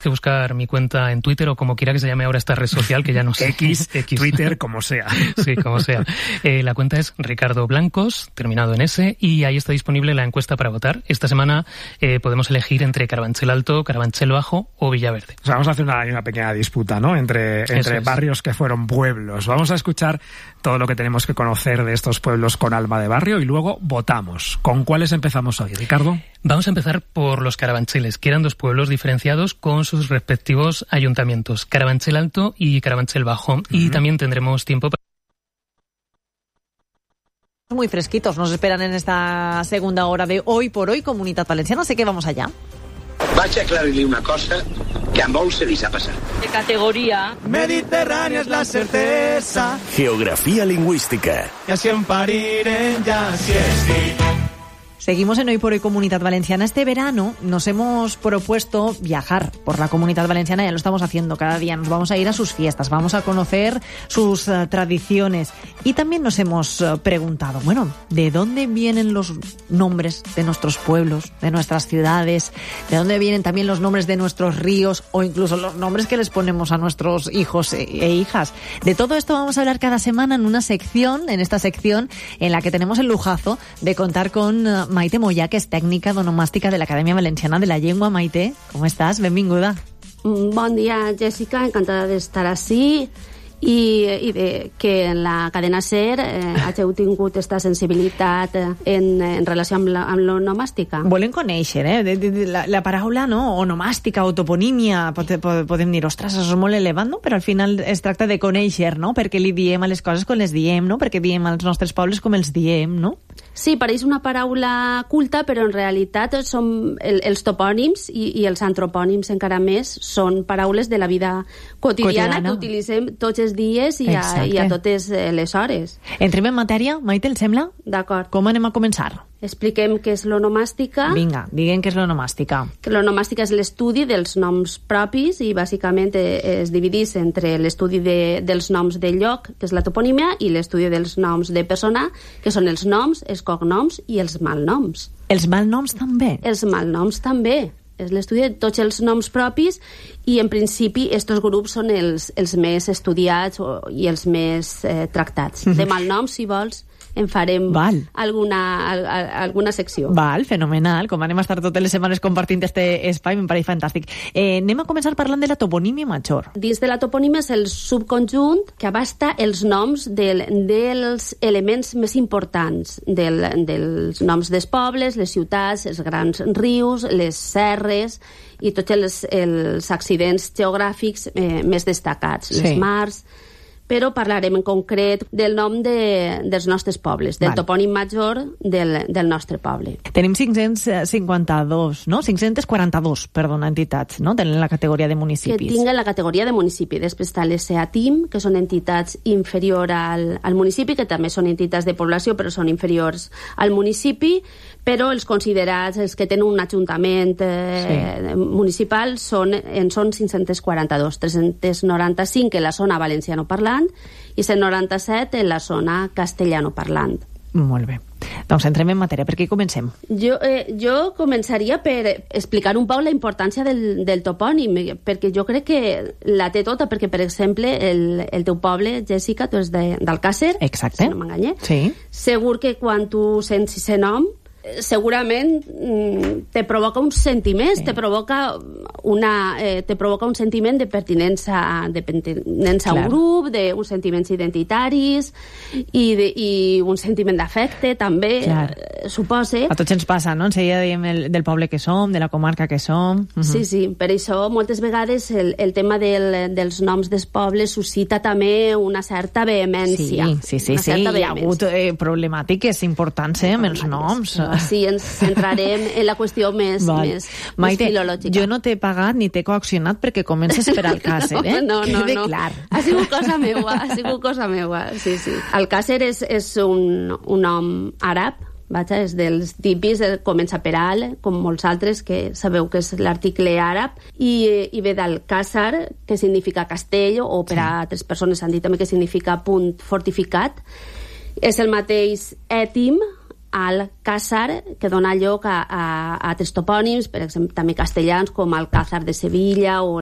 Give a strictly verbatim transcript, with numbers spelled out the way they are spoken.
que buscar mi cuenta en Twitter o como quiera que se llame ahora esta red social, que ya no sé. X, X. Twitter, como sea. Sí, como sea. Eh, la cuenta es Ricardo Blancos, terminado en S, y ahí está disponible la encuesta para votar. Esta semana eh, podemos elegir entre Carabanchel Alto, Carabanchel Bajo o Villaverde. O sea, vamos a hacer una, una pequeña disputa, ¿no? Entre, entre es. barrios que fueron pueblos. Vamos a escuchar todo lo que tenemos que conocer de estos pueblos con alma de barrio y luego votamos. ¿Con cuáles empezamos hoy, Ricardo? Vamos a empezar por los Carabancheles, que eran dos pueblos diferenciados con sus respectivos ayuntamientos, Carabanchel Alto y Carabanchel Bajo. Uh-huh. Y también tendremos tiempo para... Muy fresquitos nos esperan en esta segunda hora de Hoy por Hoy, Comunitat Valenciana. Así que vamos allá. Vaig a aclarir-li una cosa que a molts se li ha passat. De categoría. Mediterránea es la certeza. Geografía lingüística. Y así en parirem, ya así es. Seguimos en Hoy por Hoy Comunitat Valenciana. Este verano nos hemos propuesto viajar por la Comunitat Valenciana, ya lo estamos haciendo cada día. Nos vamos a ir a sus fiestas, vamos a conocer sus uh, tradiciones. Y también nos hemos uh, preguntado, bueno, ¿de dónde vienen los nombres de nuestros pueblos, de nuestras ciudades? ¿De dónde vienen también los nombres de nuestros ríos o incluso los nombres que les ponemos a nuestros hijos e, e hijas? De todo esto vamos a hablar cada semana en una sección, en esta sección en la que tenemos el lujazo de contar con uh, Maite Moyà, que és tècnica d'onomàstica de l'Acadèmia Valenciana de la Llengua. Maite, com estàs? Benvinguda. Bon dia, Jessica. Encantada d'estar ací i, i de que en la cadena SER eh, hàgiu tingut aquesta sensibilitat en, en relació amb, la, amb l'onomàstica. Volem conèixer, eh? De, de, de, la, la paraula, no? Onomàstica, o toponímia, pod, pod, podem dir, ostres, això és molt elevat, no? Però al final es tracta de conèixer, no? Perquè li diem a les coses com les diem, no? Perquè diem als nostres pobles com els diem, no? Sí, pareix una paraula culta, però en realitat són el, els topònims i, i els antropònims encara més són paraules de la vida quotidiana, quotidiana. que utilitzem tots els dies i a, i a totes les hores. Entrem en matèria, Maite, el sembla? D'acord. Com anem a començar? Expliquem què és l'onomàstica. Vinga, diguem què és l'onomàstica. Que l'onomàstica és l'estudi dels noms propis i bàsicament es divideix entre l'estudi de, dels noms de lloc, que és la toponímia, i l'estudi dels noms de persona, que són els noms, els cognoms i els malnoms. Els malnoms també? Els malnoms també. És l'estudi de tots els noms propis i, en principi, aquests grups són els, els més estudiats o, i els més eh, tractats. De malnoms, si vols, en farem Val. alguna, al, alguna secció. Val, fenomenal. Com anem a estar totes les setmanes compartint este espai, em pareix fantàstic. Eh, anem a començar parlant de la toponímia major. Dins de la toponímia és el subconjunt que abasta els noms del, dels elements més importants del, dels noms dels pobles, les ciutats, els grans rius, les serres i tots els, els accidents geogràfics eh, més destacats, les sí. mars... però parlarem en concret del nom de, dels nostres pobles, del Val. topònim major del, del nostre poble. Tenim cinc-cents cinquanta-dos, no? cinc-cents quaranta-dos, perdona, entitats, no? Tenen la categoria de municipis. Que tinguen la categoria de municipi. Després està l'S A T I M, que són entitats inferior al, al municipi, que també són entitats de població, però són inferiors al municipi, però els considerats, els que tenen un ajuntament eh, sí. municipal, són, en són cinc-cents quaranta-dos, tres-cents noranta-cinc en la zona valencianoparlant i cent noranta-set en la zona castellanoparlant. Molt bé. Doncs entrem en matèria. Per què comencem? Jo, eh, jo començaria per explicar un poc la importància del, del topònim, perquè jo crec que la té tota, perquè, per exemple, el, el teu poble, Jessica, tu és d'Alcàsser, exacte. Si no m'enganyé. Sí. Segur que quan tu sents aquest nom, segurament te provoca un sentiment, sí. te provoca una eh, te provoca un sentiment de pertinença, de pertinença a un grup, de uns sentiments identitaris i, de, i un sentiment d'afecte també, eh, supose. A tots ens passa, no? Enseguida diem el, del poble que som, de la comarca que som. Uh-huh. Sí, sí, per això moltes vegades el, el tema del, dels noms dels pobles suscita també una certa vehemència. Sí, sí, sí, sí. Hi ha hagut eh, problemàtiques importants eh, amb els noms. Sí, ens centrarem en la qüestió més, més, Maite, més filològica. Jo no t'he pagat ni t'he coaccionat perquè comences per Alcàsser, eh? No, no, Quede no. clar. Ha sigut cosa meua, ha sigut cosa meua, sí, sí. Alcàsser és, és un, un nom àrab, vaja, és dels típics, comença per al, com molts altres, que sabeu que és l'article àrab, i, i ve d'Alcàsser, que significa castell, o per a altres persones han dit també que significa punt fortificat. És el mateix ètim, Alcázar, que dona lloc a, a, a altres topònims, per exemple, també castellans, com Alcázar de Sevilla o